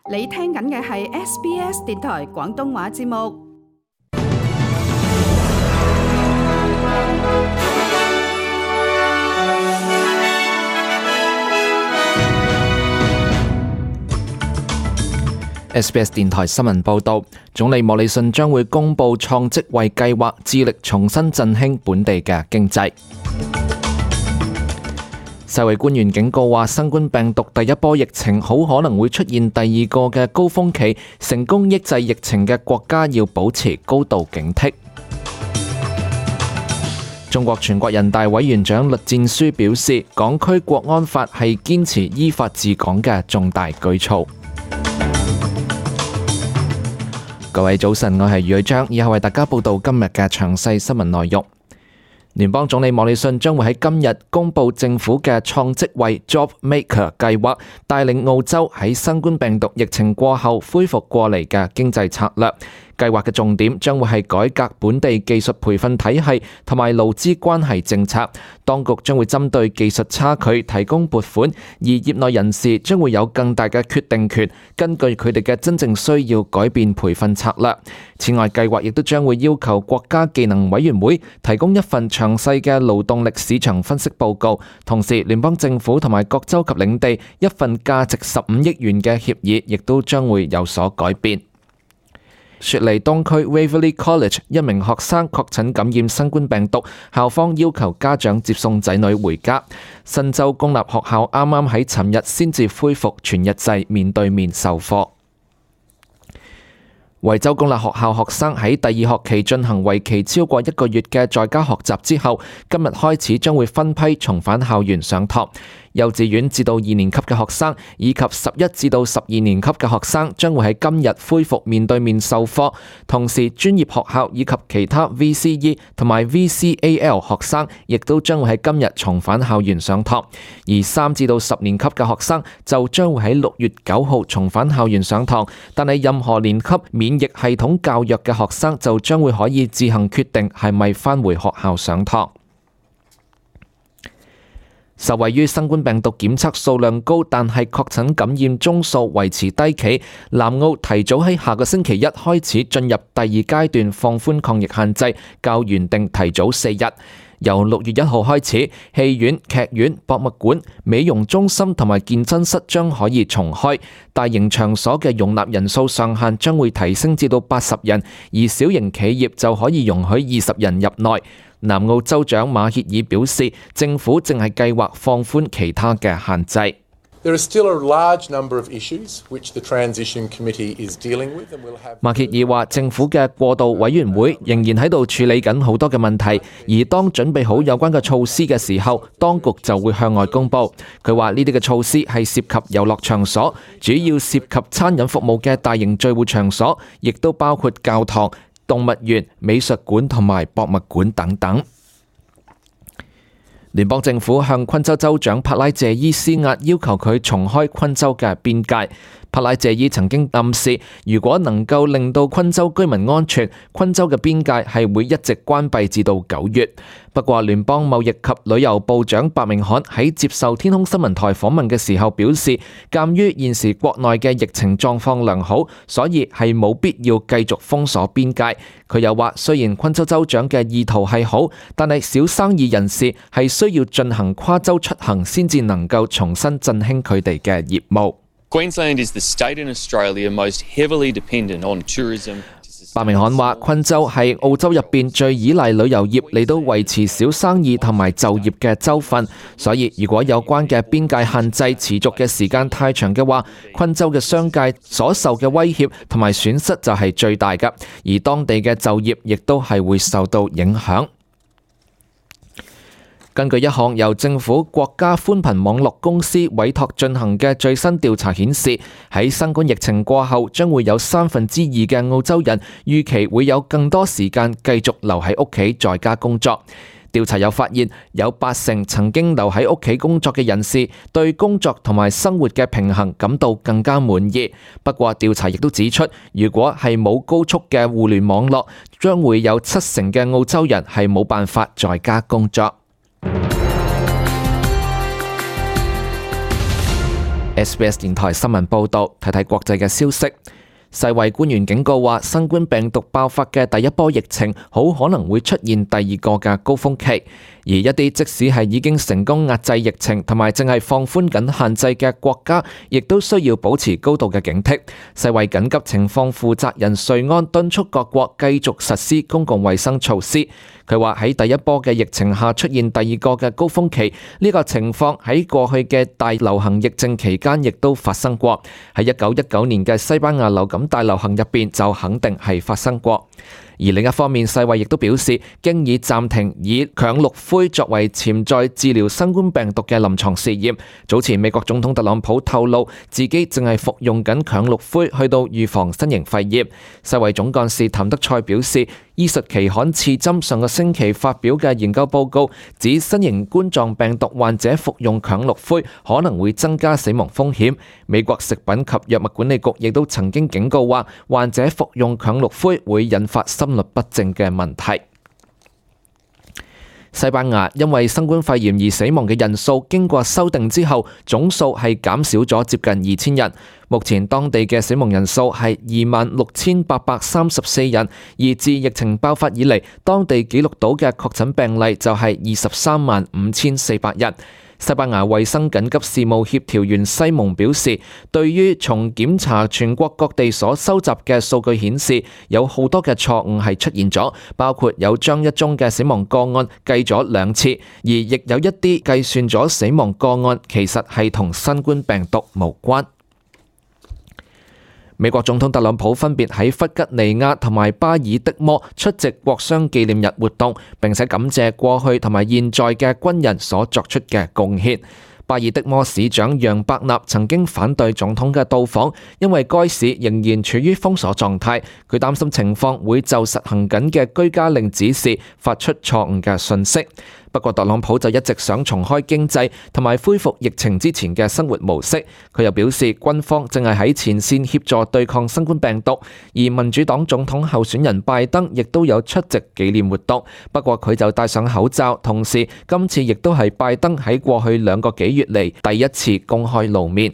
你聽緊嘅係 SBS 電台廣東話節目。SBS 電台新聞報導，總理莫里遜將會公布創職位計劃，致力重新振興本地嘅經濟。世衛官員警告話，新冠病毒第一波疫情好可能會出現第二個嘅高峰期，成功抑制疫情嘅國家要保持高度警惕。中國全國人大委員長栗戰書表示，港區國安法係堅持依法治港嘅重大舉措。各位早晨，我係余偉章，以後為大家報道今日嘅詳細新聞內容。聯邦總理莫里遜將會喺今日公布政府嘅創職位 Job Maker 計劃，帶領澳洲喺新冠病毒疫情過後恢復過嚟嘅經濟策略。計劃嘅重點將會係改革本地技術培訓體系同埋勞資關係政策。當局將會針對技術差距提供撥款，而業內人士將會有更大嘅決定權，根據佢哋嘅真正需要改變培訓策略。此外，計劃亦都將會要求國家技能委員會提供一份詳細嘅勞動力市場分析報告，同時聯邦政府同埋各州及領地一份價值15億元嘅協議亦都將會有所改變。雪梨東區 Waverley College 一名學生確診感染新冠病毒，校方要求家長接送仔女回家。新州公立學校啱啱喺尋日先至恢復全日制面對面授課。維州公立學校學生喺第二學期進行為期超過1個月嘅在家學習之後，今日開始將會分批重返校園上堂。幼稚園至到2年級嘅學生以及11至到12年級嘅學生將會喺今日恢復面對面授課，同時專業學校以及其他 VCE 同埋 VCAL 學生亦都將會喺今日重返校園上堂，而3至到10年級嘅學生就將會喺6月9號重返校園上堂，但係任何年級免疫系統較弱嘅學生就將會可以自行決定係咪返回學校上堂。受惠於新冠病毒檢測數量高，但係確診感染宗數維持低企，南澳提早喺下個星期一開始進入第二階段放寬抗疫限制，較原定提早4日。由6月1號開始，戲院、劇院、博物館、美容中心同埋健身室將可以重開，大型場所嘅容納人數上限將會提升至到80人，而小型企業就可以容許20人入內。南澳州長馬歇爾表示，政府正係計劃放寬其他嘅限制。馬歇爾話，政府嘅過渡委員會仍然喺度處理緊好多嘅問題，而當準備好有關嘅措施嘅時候，當局就會向外公佈。佢話呢啲嘅措施係涉及遊樂場所，主要涉及餐飲服務嘅大型聚會場所，亦都包括教堂、動物園、美術館同埋博物館等等。聯邦政府向昆州州長帕拉謝伊施壓，要求佢重開昆州嘅邊界。帕拉謝伊曾經暗示，如果能夠令到昆州居民安全，昆州嘅邊界係會一直關閉至到9月。不過，聯邦貿易及旅遊部長白明翰喺接受天空新聞台訪問嘅時候表示，鑑於現時國內嘅疫情狀況良好，所以係冇必要繼續封鎖邊界。佢又話，雖然昆州州長嘅意圖係好，但係小生意人士係需要進行跨州出行先至能夠重新振興佢哋嘅業務。Queensland is the state in Australia most heavily dependent on tourism. 白明翰話，昆州係澳洲入邊最依賴旅遊業嚟到維持小生意同埋就業嘅州份，所以如果有關嘅邊界限制持續嘅時間太長嘅話，昆州嘅商界所受嘅威脅同埋損失就係最大嘅，而當地嘅就業亦都係會受到影響。根據一項由政府國家寬頻網絡公司委託進行嘅最新調查顯示，喺新冠疫情過後，將會有2/3嘅澳洲人預期會有更多時間繼續留喺屋企在家工作。調查又發現，有80%曾經留喺屋企工作嘅人士對工作同埋生活嘅平衡感到更加滿意。不過調查亦都指出，如果係冇高速嘅互聯網絡，將會有70%嘅澳洲人係冇辦法在家工作。SBS 電台新聞報導，睇睇國際嘅消息。世衛官員警告話，新冠病毒爆發嘅第一波疫情好可能會出現第二個嘅高峰期，而一啲即使係已經成功壓制疫情同埋淨係放寬緊限制嘅國家，亦都需要保持高度嘅警惕。世衛緊急情況負責人瑞安敦促各國繼續實施公共衛生措施。佢話喺第一波嘅疫情下出現第二個嘅高峰期，呢個情況喺過去嘅大流行疫症期間亦都發生過。喺1919年嘅西班牙流感大流行入邊就肯定係發生過。而另一方面，世衛亦都表示，經已暫停以羥氯喹作為潛在治療新冠病毒嘅臨床試驗。早前美國總統特朗普透露，自己正係服用緊羥氯喹去到預防新型肺炎。世衛總幹事譚德塞表示，醫術期刊《刺針》上個星期發表嘅研究報告指，新型冠狀病毒患者服用羥氯喹可能會增加死亡風險。美國食品及藥物管理局亦都曾經警告話，患者服用羥氯喹會引發心律不正嘅問題。西班牙因為新冠肺炎而死亡嘅人數經過修訂之後，總數係減少咗接近2000人。目前當地嘅死亡人數係26,834人，而自疫情爆發以嚟，當地記錄到嘅確診病例就係235400人。西班牙衛生緊急事務協調員西蒙表示，對於從檢查全國各地所收集嘅數據顯示，有好多嘅錯誤係出現咗，包括有將一宗嘅死亡個案計咗2次，而亦有一啲計算咗死亡個案其實係同新冠病毒無關。美國總統特朗普分別喺弗吉尼亞同埋巴爾的摩出席國殤紀念日活動，並且感謝過去同埋現在嘅軍人所作出嘅貢獻。巴爾的摩市長楊伯納曾經反對總統嘅到訪，因為該市仍然處於封鎖狀態，佢擔心情況會就實行緊嘅居家令指示發出錯誤嘅訊息。不過特朗普就一直想重開經濟同埋恢復疫情之前嘅生活模式。佢又表示，軍方正係喺前線協助對抗新冠病毒，而民主黨總統候選人拜登亦都有出席紀念活動。不過佢就戴上口罩，同時今次亦都係拜登喺過去2個幾月嚟第一次公開露面。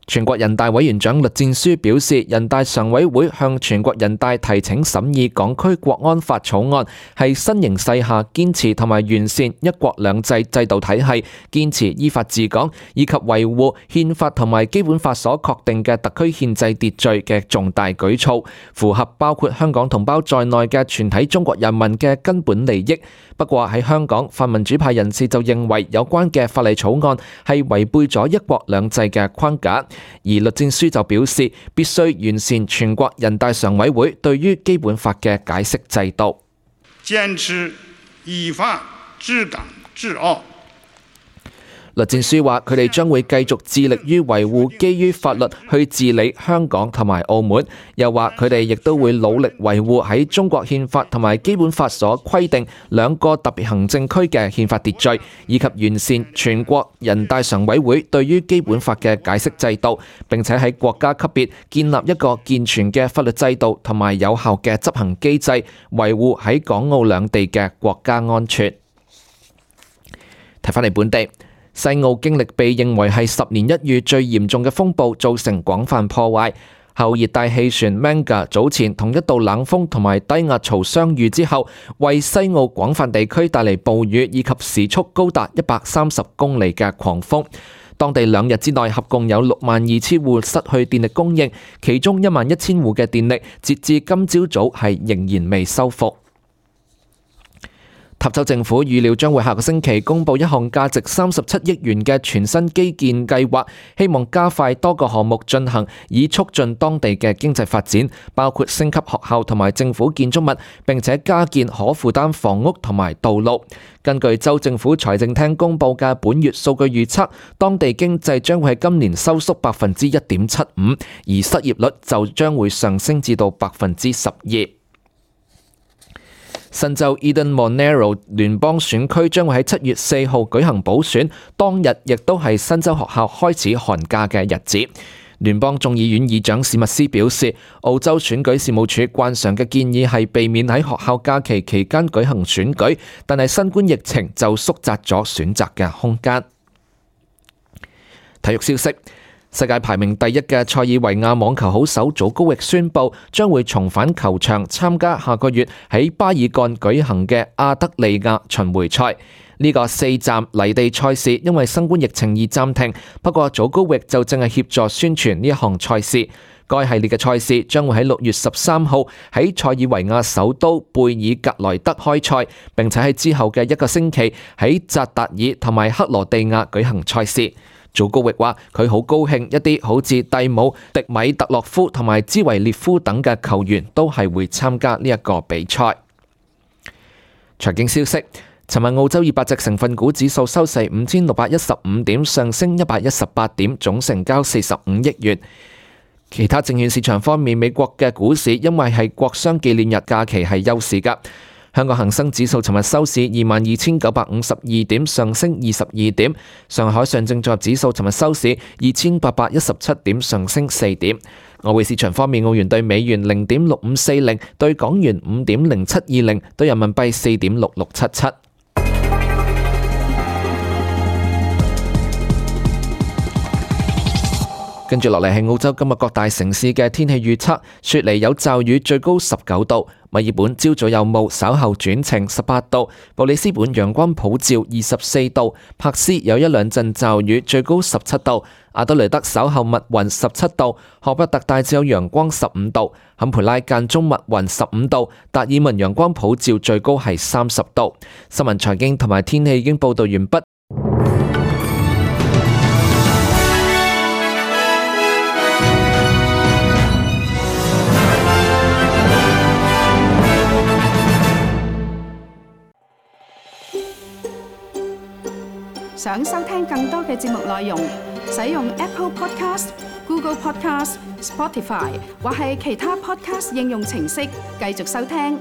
全國人大委員長栗戰書表示，人大常委會向全國人大提請審議港區國安法草案，係新形勢下堅持同埋完善一國兩制制度體系，堅持依法治港，以及維護憲法同埋基本法所確定嘅特區憲制秩序嘅重大舉措，符合包括香港同胞在內嘅全體中國人民嘅根本利益。不過喺香港，泛民主派人士就認為有關嘅法例草案係違背咗一國兩制嘅框架，而栗戰書就表示必須完善全國人大常委會對於基本法嘅解釋制度，堅持依法治港治澳。栗戰書話：佢哋將會繼續致力於維護基於法律去治理香港同埋澳門。又話佢哋亦都會努力維護喺中國憲法同埋基本法所規定2個特別行政區嘅憲法秩序，以及完善全國人大常委會對於基本法嘅解釋制度，並且喺國家級別建立一個健全嘅法律制度同埋有效嘅執行機制，維護喺港澳兩地嘅國家安全。睇返嚟本地。西澳經歷被認為係10年一遇最嚴重嘅風暴，造成廣泛破壞。後熱帶氣旋 Manga 早前同一道冷鋒同埋低壓槽相遇之後，為西澳廣泛地區帶嚟暴雨以及時速高達130公里嘅狂風。當地2日之內合共有62000戶失去電力供應，其中11000戶嘅電力截至今朝早係仍然未修復。塔州政府預料將會下個星期公布一項價值37億元嘅全新基建計劃，希望加快多個項目進行，以促進當地嘅經濟發展，包括升級學校同埋政府建築物，並且加建可負擔房屋同埋道路。根據州政府財政廳公布嘅本月數據預測，當地經濟將會喺今年收縮1.75%，而失業率就將會上升至到12%。新州 Eden Monaro 聯邦選區將會喺7月4號舉行補選，當日亦都係新州學校開始寒假嘅日子。聯邦眾議院議長史密斯表示，澳洲選舉事務處慣常嘅建議係避免喺學校假期期間舉行選舉，但係新冠疫情就縮窄咗選擇嘅空間。體育消息，世界排名第一嘅塞爾維亞網球好手祖高域宣布將會重返球場參加下個月喺巴爾幹舉行嘅亞德利亞巡迴賽。呢個4站泥地賽事因為新冠疫情而暫停，不過祖高域就正係協助宣傳呢一項賽事。該系列嘅賽事將會喺6月13號喺塞爾維亞首都貝爾格萊德開賽，並且喺之後嘅1個星期喺扎達爾同埋克羅地亞舉行賽事。祖高域話佢好高興一啲好似蒂姆、迪米特洛夫同埋茲維列夫等嘅球員都係會參加呢一個比賽。財經消息，尋日澳洲200隻成分股指數收市5615點，上升118點，總成交45億元。其他證券市場方面，美國嘅股市因為係國殤紀念日假期係休市㗎。香港恒生指數尋日收市22,952點，上升22點。上海上證綜合指數尋日收市2,817點，上升4點。外匯市場方面，澳元對美元0.6540，對港元5.0720，對人民幣4.6677。跟住落嚟係澳洲今日各大城市嘅天氣預測，雪梨有驟雨，最高19度；墨爾本朝早有霧，稍後轉晴18度；布里斯本陽光普照24度；珀斯有1兩陣驟雨，最高17度；阿德雷德稍後密雲17度；荷伯特大致有陽光15度；坎培拉間中密雲15度；達爾文陽光普照，最高係30度。新聞財經同埋天氣已經報道完畢。想收聽更多嘅節目內容，使用 Apple Podcast、Google Podcast、Spotify 或係其他 Podcast 應用程式繼續收聽。